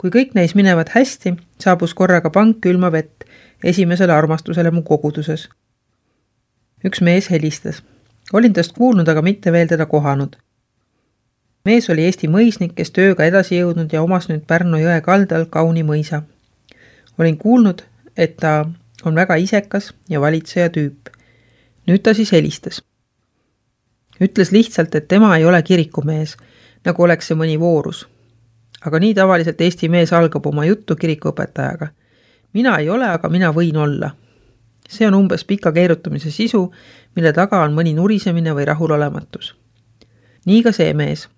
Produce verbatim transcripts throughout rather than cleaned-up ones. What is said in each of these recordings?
Kui kõik neis minevad hästi, saabus korraga pank külma vett esimesele armastusele mu koguduses. Üks mees helistas. Olin tast kuulnud, aga mitte veel teda kohanud. Mees oli Eesti mõisnik, kes tööga edasi jõudnud ja omas nüüd Pärnu jõe kaldal kauni mõisa. Olin kuulnud, et ta on väga isekas ja valitseja tüüp. Nüüd ta siis helistas. Ütles lihtsalt, et tema ei ole kirikumees, nagu oleks see mõni voorus. Aga nii tavaliselt Eesti mees algab oma juttu kirikuõpetajaga. Mina ei ole, aga mina võin olla. See on umbes pika keerutamise sisu, mille taga on mõni nurisemine või rahulolematus. Nii ka see mees.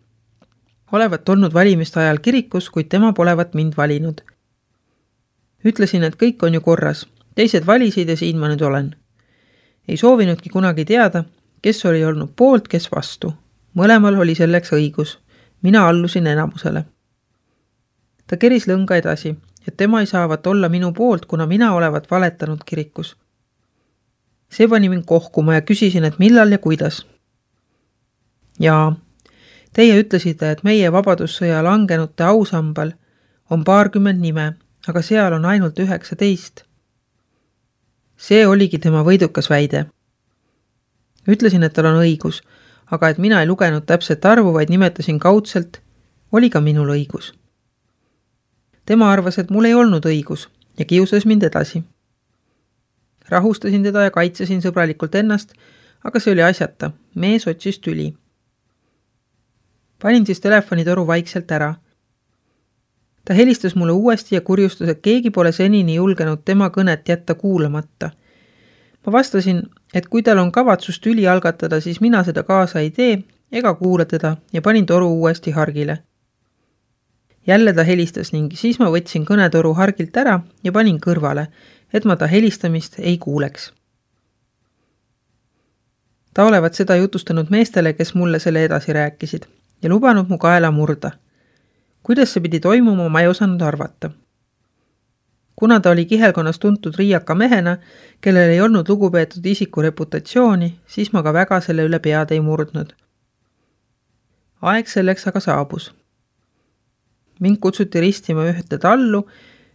Olevat olnud valimiste ajal kirikus, kuid tema polevat mind valinud. Ütlesin, et kõik on ju korras. Teised valisid ja siin ma nüüd olen. Ei soovinudki kunagi teada, kes oli olnud poolt, kes vastu. Mõlemal oli selleks õigus. Mina allusin enamusele. Ta keris lõnga edasi, et tema ei saavat olla minu poolt, kuna mina olevat valetanud kirikus. See pani mind kohkuma ja küsisin, et millal ja kuidas. Jaa, teie ütlesite, et meie vabadussõja langenute ausambal on paarkümmend nime, aga seal on ainult üheksateist. See oligi tema võidukas väide. Ütlesin, et tal on õigus, aga et mina ei lugenud täpset arvu, vaid nimetasin kaudselt, oli ka minul õigus. Tema arvas, et mul ei olnud õigus ja kiusas mind edasi. Rahustasin teda ja kaitsesin sõbralikult ennast, aga see oli asjata. Mees otsis tüli. Panin siis telefonitoru vaikselt ära. Ta helistas mulle uuesti ja kurjustas, et keegi pole senini julgenud tema kõnet jätta kuulamata. Ma vastasin, et kui tal on kavatsus tüli algatada, siis mina seda kaasa ei tee ega kuula teda ja panin toru uuesti hargile. Jälle ta helistas ning siis ma võtsin kõnetoru hargilt ära ja panin kõrvale, et ma ta helistamist ei kuuleks. Ta olevat seda jutustanud meestele, kes mulle selle edasi rääkisid ja lubanud mu kaela murda. Kuidas see pidi toimuma, ma ei osanud arvata. Kuna ta oli kihelkonnas tuntud riiaka mehena, kellel ei olnud lugupeetud isiku reputatsiooni, siis ma ka väga selle üle pead ei murdnud. Aeg selleks aga saabus. Mind kutsuti ristima ühte tallu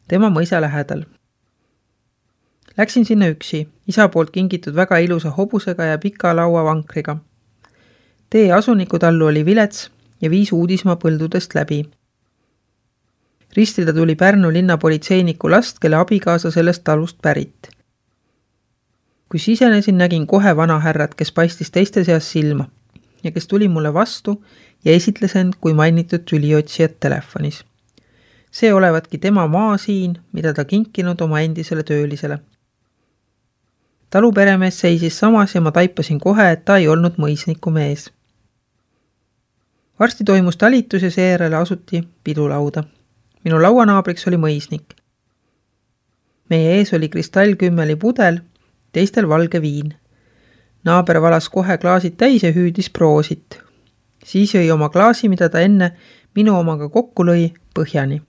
tema mõisa lähedal. Läksin sinna üksi, isa poolt kingitud väga ilusa hobusega ja pika laua vankriga. Tee asunikutallu oli vilets ja viis uudismaa põldudest läbi. Ristida tuli Pärnu linnapolitseiniku last, kelle abikaasa sellest talust pärit. Kui sisenesin, nägin kohe vanahärrat, kes paistis teiste seas silma ja kes tuli mulle vastu ja esitles end kui mainitud tüliotsijat telefonis. See olevatki tema maa siin, mida ta kinkinud oma endisele töölisele. Taluperemees seisis samas ja ma taipasin kohe, et ta ei olnud mõisniku mees. Varsti toimus talitus ja seejärele asuti pidulauda. Minu lauanaabriks oli mõisnik. Meie ees oli kristallkümmeli pudel, teistel valge viin. Naaber valas kohe klaasid täis ja hüüdis proosit. Siis jõi oma klaasi, mida ta enne minu omaga kokku lõi, põhjani.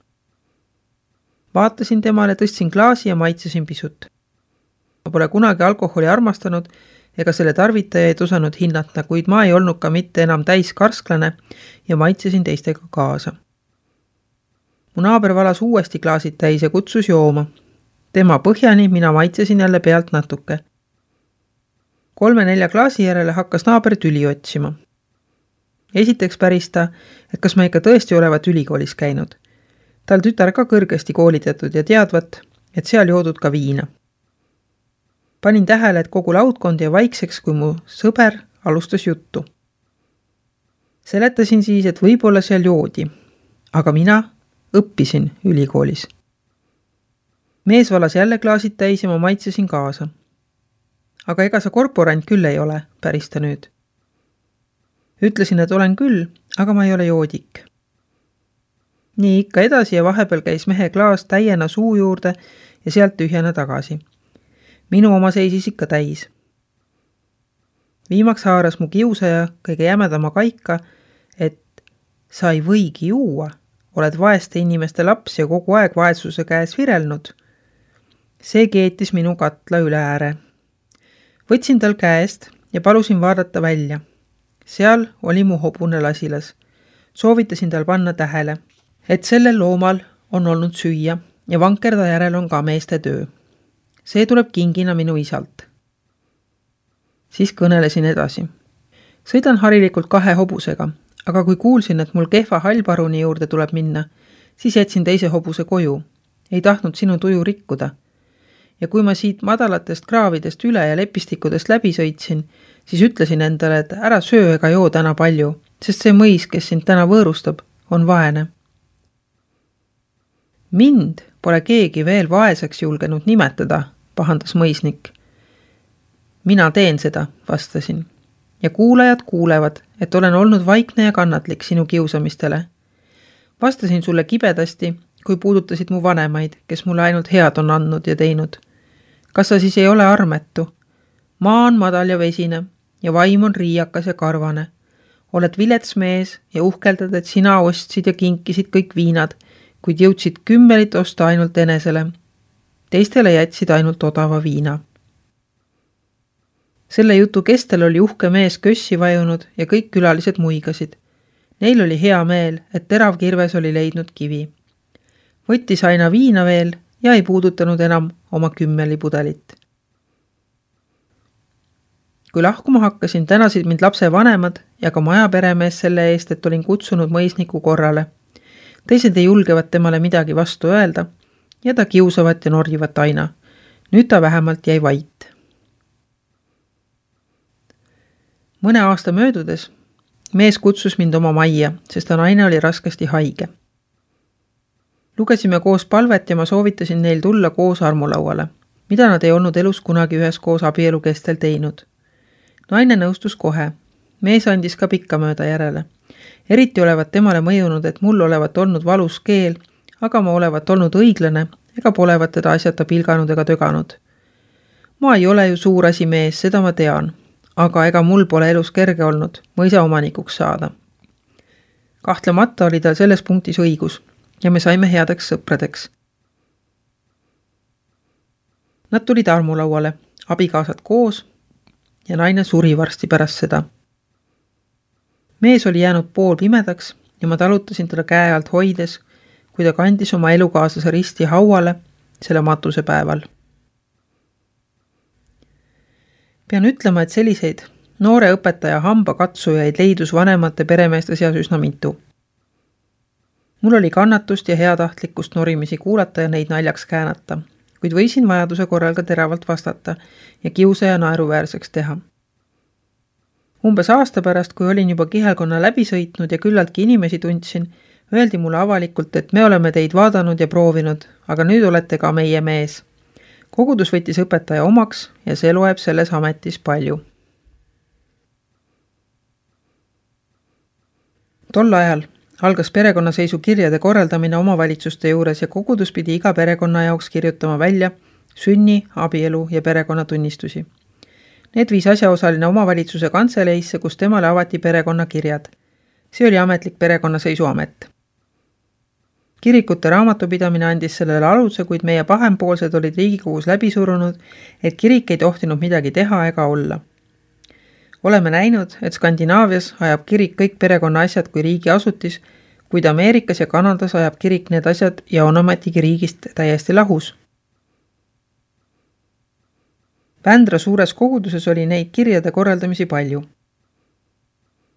Vaatasin temale, tõstsin klaasi ja maitsesin pisut. Ma pole kunagi alkoholi armastanud ega selle tarvitajaid osanud hinnata, kuid ma ei olnud ka mitte enam täis karsklane ja maitsesin teistega kaasa. Mu naaber valas uuesti klaasid täis ja kutsus jooma. Tema põhjani, mina maitsesin jälle pealt natuke. Kolme-nelja klaasi järele hakkas naaber tüli otsima. Esiteks päris ta, et kas ma ikka tõesti olevat ülikoolis käinud. Tal tütar ka kõrgesti koolitatud ja teadvat, et seal joodud ka viina. Panin tähele, et kogu laudkond ja vaikseks, kui mu sõber alustas juttu. Seletasin siis, et võib-olla seal joodi, aga mina õppisin ülikoolis. Mees valas jälle klaasid täis ja ma maitsesin kaasa. Aga ega sa korporant küll ei ole, päris ta nüüd. Ütlesin, et olen küll, aga ma ei ole joodik. Nii ikka edasi ja vahepeal käis mehe klaas täiena suu juurde ja sealt tühjana tagasi. Minu oma seisis ikka täis. Viimaks haaras mu kiusaja kõige jämedama kaika, et sa ei võigi juua, oled vaeste inimeste laps ja kogu aeg vaesuse käes virelnud. See keetis minu katla üle ääre. Võtsin tal käest ja palusin vaadata välja. Seal oli mu hobune lasilas. Soovitasin tal panna tähele, et sellel loomal on olnud süüa ja vankerda järel on ka meeste töö. See tuleb kingina minu isalt. Siis kõnelesin edasi. Sõidan harilikult kahe hobusega, aga kui kuulsin, et mul kehva hallparuni juurde tuleb minna, siis jätsin teise hobuse koju. Ei tahtnud sinu tuju rikkuda. Ja kui ma siit madalatest kraavidest üle ja lepistikudest läbi sõitsin, siis ütlesin endale, et ära söö ega joo täna palju, sest see mõis, kes sind täna võõrustab, on vaene. Mind pole keegi veel vaeseks julgenud nimetada, pahandas mõisnik. Mina teen seda, vastasin. Ja kuulajad kuulevad, et olen olnud vaikne ja kannatlik sinu kiusamistele. Vastasin sulle kibedasti, kui puudutasid mu vanemaid, kes mulle ainult head on andnud ja teinud. Kas sa siis ei ole armetu? Maa on madal ja vesine ja vaim on riiakas ja karvane. Oled vilets mees ja uhkeldad, et sina ostsid ja kinkisid kõik viinad, kuid jõudsid kümmelit osta ainult enesele. Teistele jätsid ainult odava viina. Selle jutu kestel oli uhke mees kössi vajunud ja kõik külalised muigasid. Neil oli hea meel, et terav kirves oli leidnud kivi. Võttis aina viina veel ja ei puudutanud enam oma kümmeli pudelit. Kui lahkuma hakkasin, tänasid mind lapse vanemad ja ka majaperemees selle eest, et olin kutsunud mõisniku korrale. Teised ei julgevad temale midagi vastu öelda ja ta kiusavat ja norjivat aina. Nüüd ta vähemalt jäi vait. Mõne aasta möödudes mees kutsus mind oma majja, sest ta naine oli raskesti haige. Lugesime koos palvet ja ma soovitasin neil tulla koos armulauale, mida nad ei olnud elus kunagi ühes koos abielu kestel teinud. Naine nõustus kohe. Mees andis ka pikka mööda järele. Eriti olevat temale mõjunud, et mul olevat olnud valus keel, aga ma olevat olnud õiglane ega polevat teda asjata pilganud ega töganud. Ma ei ole ju suur asi mees, seda ma tean, aga ega mul pole elus kerge olnud mõisa omanikuks saada. Kahtlemata oli tal selles punktis õigus ja me saime headeks sõpradeks. Nad tulid armulauale, abikaasad koos ja naine suri varsti pärast seda. Mees oli jäänud pool pimedaks ja ma talutasin teda käe alt hoides, kui ta kandis oma elukaaslase risti hauale selle matuse päeval. Pean ütlema, et selliseid noore õpetaja hamba katsujaid leidus vanemate peremeeste seas üsna mitu. Mul oli kannatust ja heatahtlikkust norimisi kuulata ja neid naljaks käänata, kuid võisin vajaduse korral ka teravalt vastata ja kiusaja naeruväärseks teha. Umbes aasta pärast, kui olin juba kihelkonna läbi sõitnud ja küllaltki inimesi tundsin, öeldi mulle avalikult, et me oleme teid vaadanud ja proovinud, aga nüüd olete ka meie mees. Kogudus võttis õpetaja omaks ja see loeb selles ametis palju. Tol ajal algas perekonnaseisu kirjade korraldamine omavalitsuste juures ja kogudus pidi iga perekonna jaoks kirjutama välja sünni, abielu ja perekonnatunnistusi. Need viis asjaosaline omavalitsuse kantseleisse, kus temale avati perekonnakirjad. See oli ametlik perekonnaseisuamet. Kirikute raamatupidamine andis sellele aluse, kuid meie pahempoolsed olid Riigikogus läbi surunud, et kirik ei tohtinud midagi teha ega olla. Oleme näinud, et Skandinaavias ajab kirik kõik perekonna asjad kui riigi asutis, kuid Ameerikas ja Kanadas ajab kirik need asjad ja on ometigi riigist täiesti lahus. Vändra suures koguduses oli neid kirjade korraldamisi palju.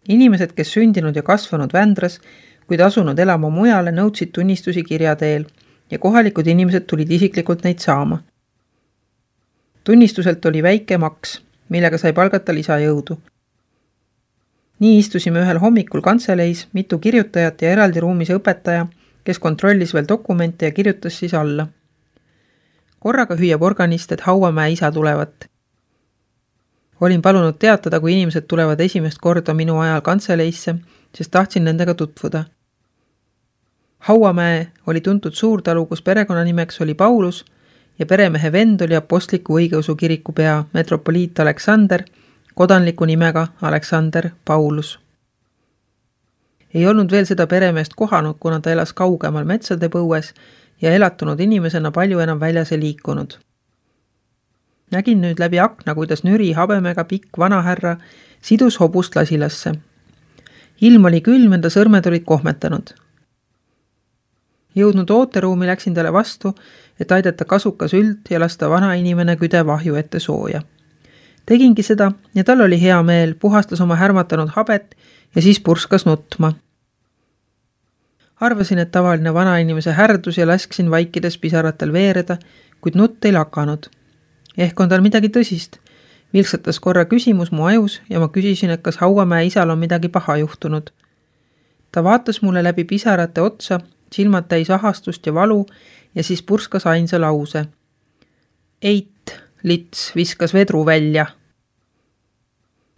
Inimesed, kes sündinud ja kasvanud Vändras, kuid asunud elama mujale, nõudsid tunnistusi kirja teel ja kohalikud inimesed tulid isiklikult neid saama. Tunnistuselt oli väike maks, millega sai palgata lisajõudu. Nii istusime ühel hommikul kantseleis, mitu kirjutajat ja eraldi ruumis õpetaja, kes kontrollis veel dokumente ja kirjutas siis alla. Korraga hüüab organist, et Hauamäe isa tulevat. Olin palunud teatada, kui inimesed tulevad esimest korda minu ajal kantseleisse, sest tahtsin nendega tutvuda. Hauamäe oli tuntud suurtalu, kus perekonnanimeks oli Paulus ja peremehe vend oli apostliku õigeusu kiriku pea metropoliit Aleksander, kodanliku nimega Aleksander Paulus. Ei olnud veel seda peremeest kohanud, kuna ta elas kaugemal metsade põues ja elatunud inimesena palju enam väljas ei liikunud. Nägin nüüd läbi akna, kuidas nüri habemega pikk vanahärra sidus hobust lasilasse. Ilm oli külm, enda sõrmed olid kohmetanud. Jõudnud ooteruumi läksin talle vastu, et aidata kasukas üld ja lasta vana inimene küde vahju ette sooja. Tegingi seda ja tal oli hea meel, puhastas oma härmatanud habet ja siis purskas nutma. Arvasin, et tavaline vana inimese härdus ja lasksin vaikides pisaratel veereda, kuid nutt ei lakanud. Ehk on tal midagi tõsist. Vilksatas korra küsimus mu ajus ja ma küsisin, et kas Hauamäe isal on midagi paha juhtunud. Ta vaatas mulle läbi pisarate otsa, silmad täis ahastust ja valu ja siis purskas ainsa lause. Eit, lits, viskas vedru välja.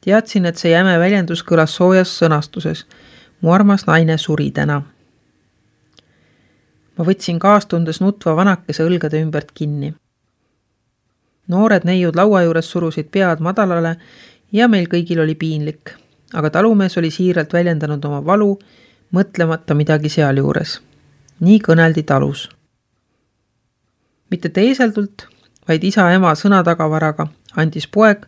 Teadsin, et see jäme väljendus kõlas soojas sõnastuses. Mu armas naine suri täna. Ma võtsin kaastundes nutva vanakese õlgade ümbert kinni. Noored neiud laua juures surusid pead madalale ja meil kõigil oli piinlik, aga talumees oli siiralt väljendanud oma valu, mõtlemata midagi seal juures. Nii kõneldi talus. Mitte teeseldult, vaid isa-ema sõnatagavaraga andis poeg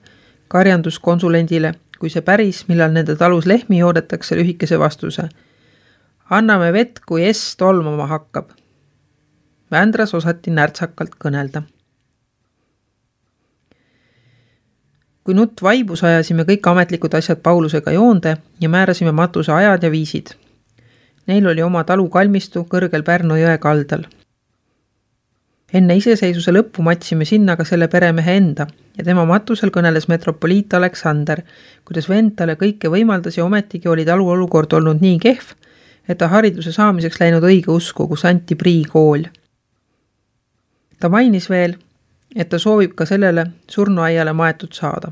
karjanduskonsulendile, kui see päris, millal nende talus lehmi joodetakse lühikese vastuse. Anname vett, kui S tolmama hakkab. Vändras osati närtsakalt kõnelda. Kui nutt vaibus ajasime kõik ametlikud asjad Paulusega joonde ja määrasime matuse ajad ja viisid. Neil oli oma talu kalmistu kõrgel Pärnu jõe kaldal. Enne iseseisuse lõppu matsime sinna ka selle peremehe enda ja tema matusel kõneles metropoliit Aleksander, kuidas vend talle kõike võimaldas ja ometigi oli talu olukord olnud nii kehv, et ta hariduse saamiseks läinud õige usku, kus anti priikool. Ta mainis veel, et ta soovib ka sellele surnuaiale maetud saada.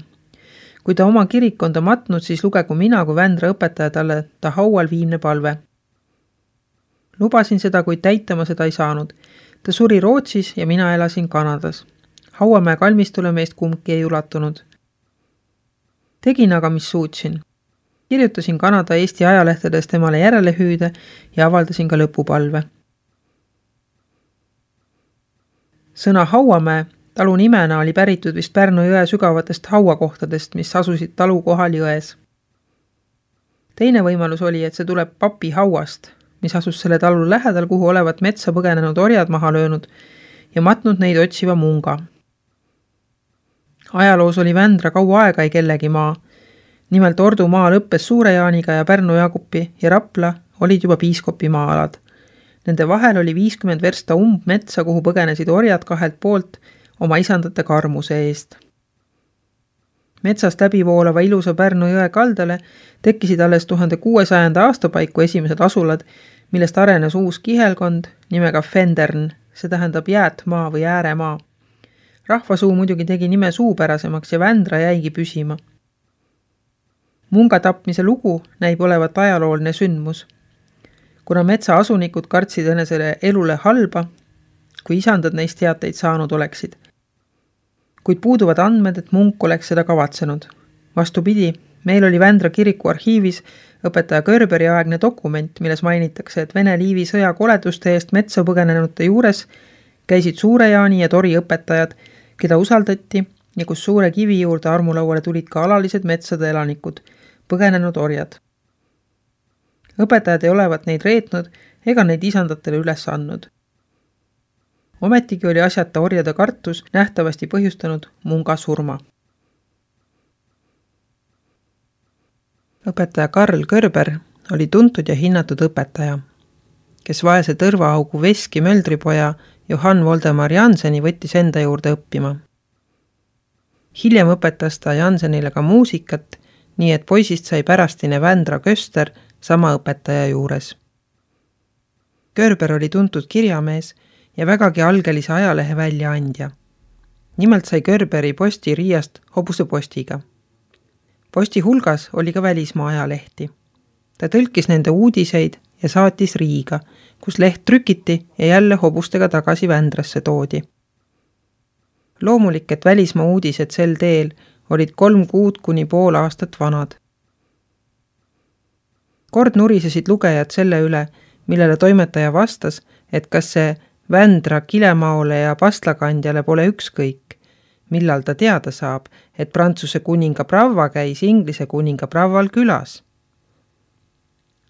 Kui ta oma kirikonda matnud, siis lugegu mina kui Vändra õpetaja talle ta haual viimne palve. Lubasin seda, kuid täitama seda ei saanud. Ta suri Rootsis ja mina elasin Kanadas. Hauamäe kalmistule meist kumbki ei ulatunud. Tegin aga, mis suutsin. Kirjutasin Kanada Eesti ajalehtedes temale järele hüüde ja avaldasin ka lõpupalve. Sõna Hauamäe talu nimena oli päritud vist Pärnu jõe sügavatest hauakohtadest, mis asusid talu kohal jões. Teine võimalus oli, et see tuleb papi hauast, mis asus selle talu lähedal, kuhu olevat metsa põgenenud orjad maha löönud ja matnud neid otsiva munga. Ajaloos oli Vändra kaua aega ei kellegi maa. Nimelt Ordu maa lõppes Suure-Jaaniga ja Pärnu Jaagupi ja Rapla olid juba piiskopi maa-alad. Nende vahel oli viiskümmend versta umbmetsa, kuhu põgenesid orjad kahelt poolt oma isandate karmuse eest. Metsast läbivoolava ilusa Pärnu jõe kaldale tekkisid alles tuhande kuuesajanda aastapaiku esimesed asulad, millest arenes uus kihelkond nimega Fendern, see tähendab jäätmaa või ääremaa. Rahvasuu muidugi tegi nime suupärasemaks ja Vändra jäigi püsima. Munga tapmise lugu näib olevat ajalooline sündmus. Kuna metsa asunikud kartsid enesele elule halba, kui isandad neist teateid saanud oleksid. Kuid puuduvad andmed, et munk oleks seda kavatsenud. Vastupidi, meil oli Vändra kiriku arhiivis õpetaja Körberi aegne dokument, milles mainitakse, et Vene Liivi sõja koleduste eest metsa põgenenute juures käisid Suure-Jaani ja Tori õpetajad, keda usaldati ja kus suure kivi juurde armulauale tulid ka alalised metsade elanikud, põgenenud orjad. Õpetajad ei olevat neid reetnud ega neid isandatele üles andnud. Ometigi oli asjata orjade kartus nähtavasti põhjustanud munga surma. Õpetaja Karl Körber oli tuntud ja hinnatud õpetaja, kes vaese tõrvaaugu Veski Möldripoja Johann Voldemar Janseni võttis enda juurde õppima. Hiljem õpetas ta Jansenile ka muusikat, nii et poisist sai pärastine Vändra Köster sama õpetaja juures. Körber oli tuntud kirjamees ja vägagi algelise ajalehe väljaandja. Nimelt sai Körberi posti Riiast hobuse postiga. Posti hulgas oli ka välismaa ajalehti. Ta tõlkis nende uudiseid ja saatis Riiga, kus leht trükiti ja jälle hobustega tagasi Vändrasse toodi. Loomulik, et välismaa uudised sel teel olid kolm kuud kuni pool aastat vanad. Kord nurisesid lugejad selle üle, millele toimetaja vastas, et kas see Vändra Kilemaole ja Pastlakandjale pole ükskõik, millal ta teada saab, et Prantsuse kuninga Brava käis Inglise kuninga Braval külas.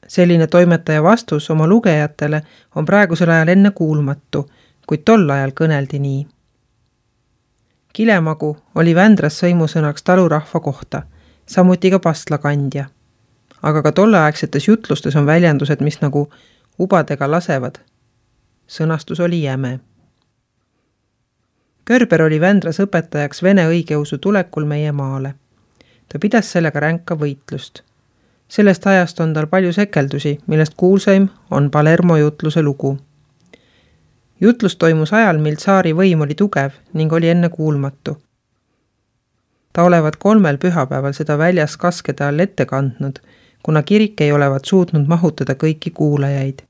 Selline toimetaja vastus oma lugejatele on praegusel ajal enne kuulmatu, kuid tol ajal kõneldi nii. Kilemagu oli Vändras sõimusõnaks talurahva kohta, samuti ka pastlakandja. Aga ka tolleaegsetes jutlustes on väljendused, mis nagu ubadega lasevad. Sõnastus oli jäme. Körber oli Vändras õpetajaks vene õigeusu tulekul meie maale. Ta pidas sellega ränka võitlust. Sellest ajast on tal palju sekeldusi, millest kuulsaim on Palermo jutluse lugu. Jutlus toimus ajal, mil tsaari võim oli tugev ning oli enne kuulmatu. Ta olevat kolmel pühapäeval seda väljas kaskede all ette kandnud, kuna kirik ei olevat suutnud mahutada kõiki kuulajaid.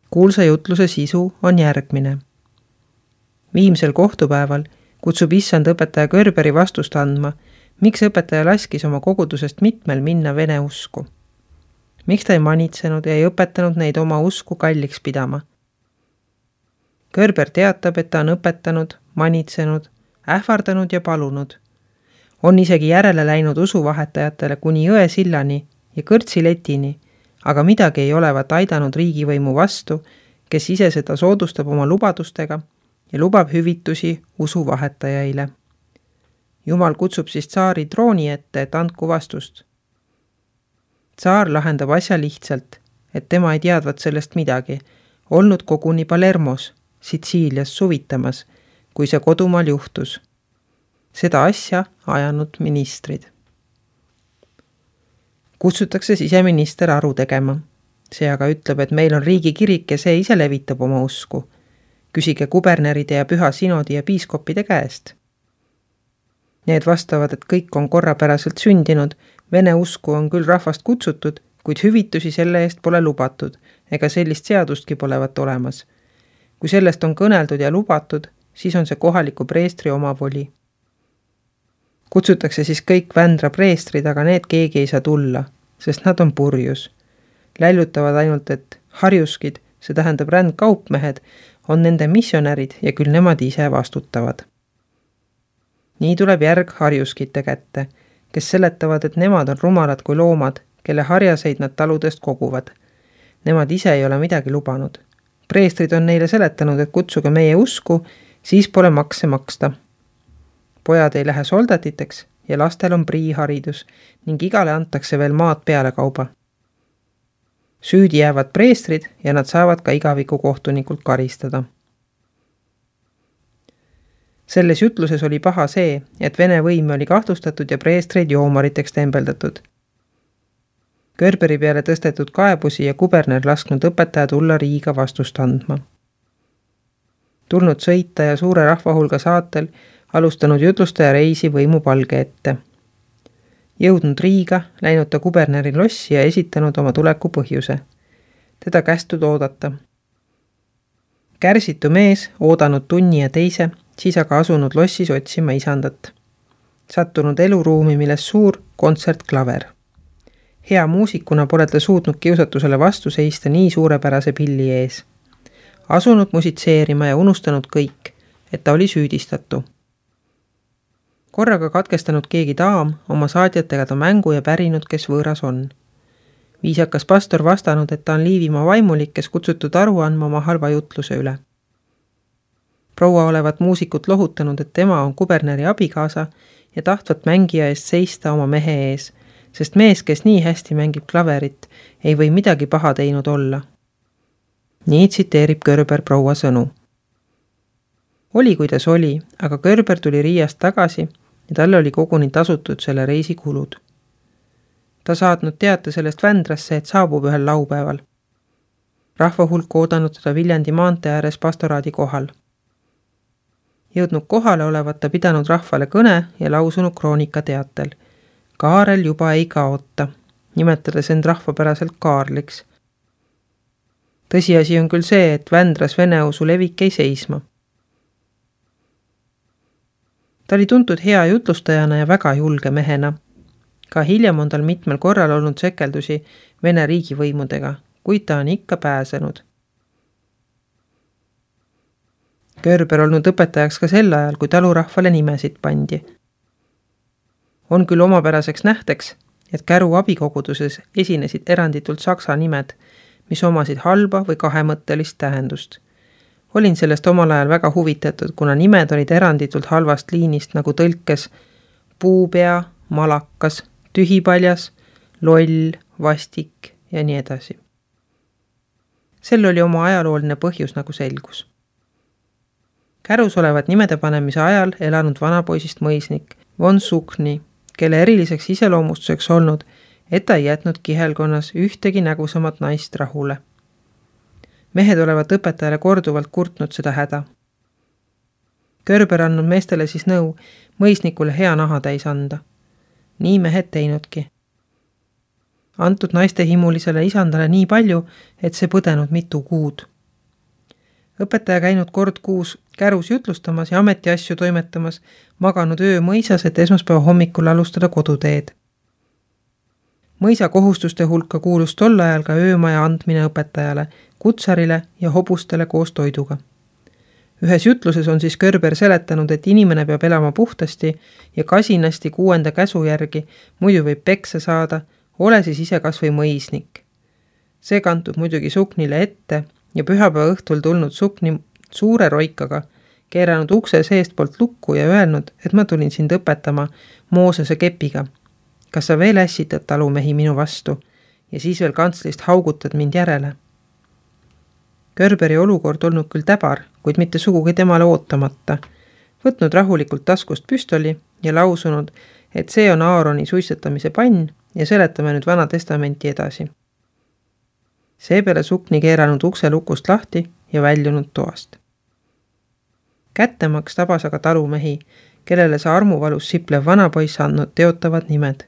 Kuulsa jutluse sisu on järgmine. Viimsel kohtupäeval kutsub issand õpetaja Körberi vastust andma, miks õpetaja laskis oma kogudusest mitmel minna vene usku. Miks ta ei manitsenud ja ei õpetanud neid oma usku kalliks pidama. Körber teatab, et ta on õpetanud, manitsenud, ähvardanud ja palunud. On isegi järele läinud usuvahetajatele kuni Jõesillani ja Kõrtsiletini, aga midagi ei olevat aidanud riigivõimu vastu, kes ise seda soodustab oma lubadustega ja lubab hüvitusi usuvahetajaile. Jumal kutsub siis tsaari trooni ette, et andku vastust. Tsaar lahendab asja lihtsalt, et tema ei teadvat sellest midagi, olnud koguni Palermos, Sitsiilias suvitamas, kui see kodumaal juhtus. Seda asja ajanud ministrid. Kutsutakse siseminister aru tegema. See aga ütleb, et meil on riigikirik ja see ise levitab oma usku. Küsige kuberneride ja püha sinodi ja piiskopide käest. Need vastavad, et kõik on korrapäraselt sündinud, vene usku on küll rahvast kutsutud, kuid hüvitusi selle eest pole lubatud, ega sellist seadustki polevat olemas. Kui sellest on kõneldud ja lubatud, siis on see kohaliku preestri omavoli. Kutsutakse siis kõik Vändra preestrid, aga need keegi ei saa tulla, sest nad on purjus. Läljutavad ainult, et harjuskid, see tähendab rändkaupmehed, on nende missionärid ja küll nemad ise vastutavad. Nii tuleb järg harjuskite kätte, kes seletavad, et nemad on rumalad kui loomad, kelle harjaseid nad taludest koguvad. Nemad ise ei ole midagi lubanud. Preestrid on neile seletanud, et kutsuge meie usku, siis pole makse maksta. Pojad ei lähe soldatiteks ja lastel on priiharidus ning igale antakse veel maad peale kauba. Süüdi jäävad preestrid ja nad saavad ka igaviku kohtunikult karistada. Selles jutluses oli paha see, et vene võim oli kahtlustatud ja preestreid joomariteks tembeldatud. Körberi peale tõstetud kaebusi ja kuberner lasknud õpetaja tulla Riiga vastust andma. Tulnud sõita ja suure rahvahulga saatel alustanud jutlustaja reisi võimu palge ette. Jõudnud Riiga, läinud ta kuberneri lossi ja esitanud oma tuleku põhjuse. Teda kästud oodata. Kärsitu mees, oodanud tunni ja teise, siis aga asunud lossis otsima isandat. Sattunud eluruumi, milles suur kontsertklaver. Hea muusikuna pole ta suutnud kiusatusele vastu seista nii suurepärase pilli ees. Asunud musitseerima ja unustanud kõik, et ta oli süüdistatu. Korraga katkestanud keegi daam oma saadjatega ta mängu ja pärinud, kes võõras on. Viisakas pastor vastanud, et ta on Liivimaa vaimulik, kes kutsutud aru andma oma halva jutluse üle. Proua olevat muusikut lohutanud, et tema on kuberneri abikaasa ja tahtvat mängija eest seista oma mehe ees, sest mees, kes nii hästi mängib klaverit, ei või midagi paha teinud olla. Nii tsiteerib Körber proua sõnu. Oli, kuidas oli, aga Körber tuli Riiast tagasi ja talle oli koguni tasutud selle reisi kulud. Ta saatnud teate sellest Vändrasse, et saabub ühel laupäeval. Rahvahulk oodanud teda Viljandi maantee ääres pastoraadi kohal. Jõudnud kohale olevat ta pidanud rahvale kõne ja lausunud kroonika teatel. Kaarel juba ei kaota, nimetades end rahvapäraselt Kaarliks. Tõsiasi on küll see, et Vändras veneusu levik ei seisma. Ta oli tuntud hea jutlustajana ja väga julge mehena. Ka hiljem on tal mitmel korral olnud sekeldusi Vene riigivõimudega, kuid ta on ikka pääsenud. Körber olnud õpetajaks ka sel ajal, kui talurahvale nimesid pandi. On küll omapäraseks nähteks, et Käru abikoguduses esinesid eranditult saksa nimed, mis omasid halba või kahemõttelist tähendust. Olin sellest omal ajal väga huvitatud, kuna nimed olid eranditult halvast liinist nagu tõlkes puupea, malakas, tühipaljas, loll, vastik ja nii edasi. Sel oli oma ajalooline põhjus nagu selgus. Kärus olevat nimede panemise ajal elanud vanapoisist mõisnik von Sukni, kelle eriliseks iseloomustuseks olnud, et ta ei jätnud kihelkonnas ühtegi nägusamat naist rahule. Mehed olevat õpetajale korduvalt kurtnud seda häda. Körber andnud meestele siis nõu mõisnikule hea naha täis anda. Nii mehed teinudki. Antud naiste himulisele isandale nii palju, et see põdenud mitu kuud. Õpetaja käinud kord kuus Kärus jutlustamas ja ametiasju toimetamas, maganud öö mõisas, et esmaspäeva hommikul alustada koduteed. Mõisa kohustuste hulka kuulus tol ajal ka öömaja andmine õpetajale, kutsarile ja hobustele koos toiduga. Ühes jutluses on siis Körber seletanud, et inimene peab elama puhtasti ja kasinasti kuuenda käsu järgi, muidu võib peksa saada, ole siis ise kas või mõisnik. See kantub muidugi Suknile ette ja pühapäeva õhtul tulnud Sukni suure roikaga, keeranud ukse seest poolt lukku ja öelnud, et ma tulin sind õpetama Moosese kepiga. Kas sa veel ässitad talumehi minu vastu ja siis veel kantslist haugutad mind järele? Körberi olukord olnud küll täbar, kuid mitte sugugi temale ootamata, võtnud rahulikult taskust püstoli ja lausunud, et see on Aaroni suitsetamise pann ja seletame nüüd Vana Testamenti edasi. Seepeale Sukni keeranud ukse lukust lahti ja väljunud toast. Kättemaks tabas aga talumehi, kellele see armuvalus siplev vanapoiss andnud teotavad nimed.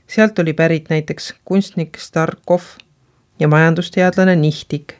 Sealt oli pärit näiteks kunstnik Starkov ja majandusteadlane Nihtik,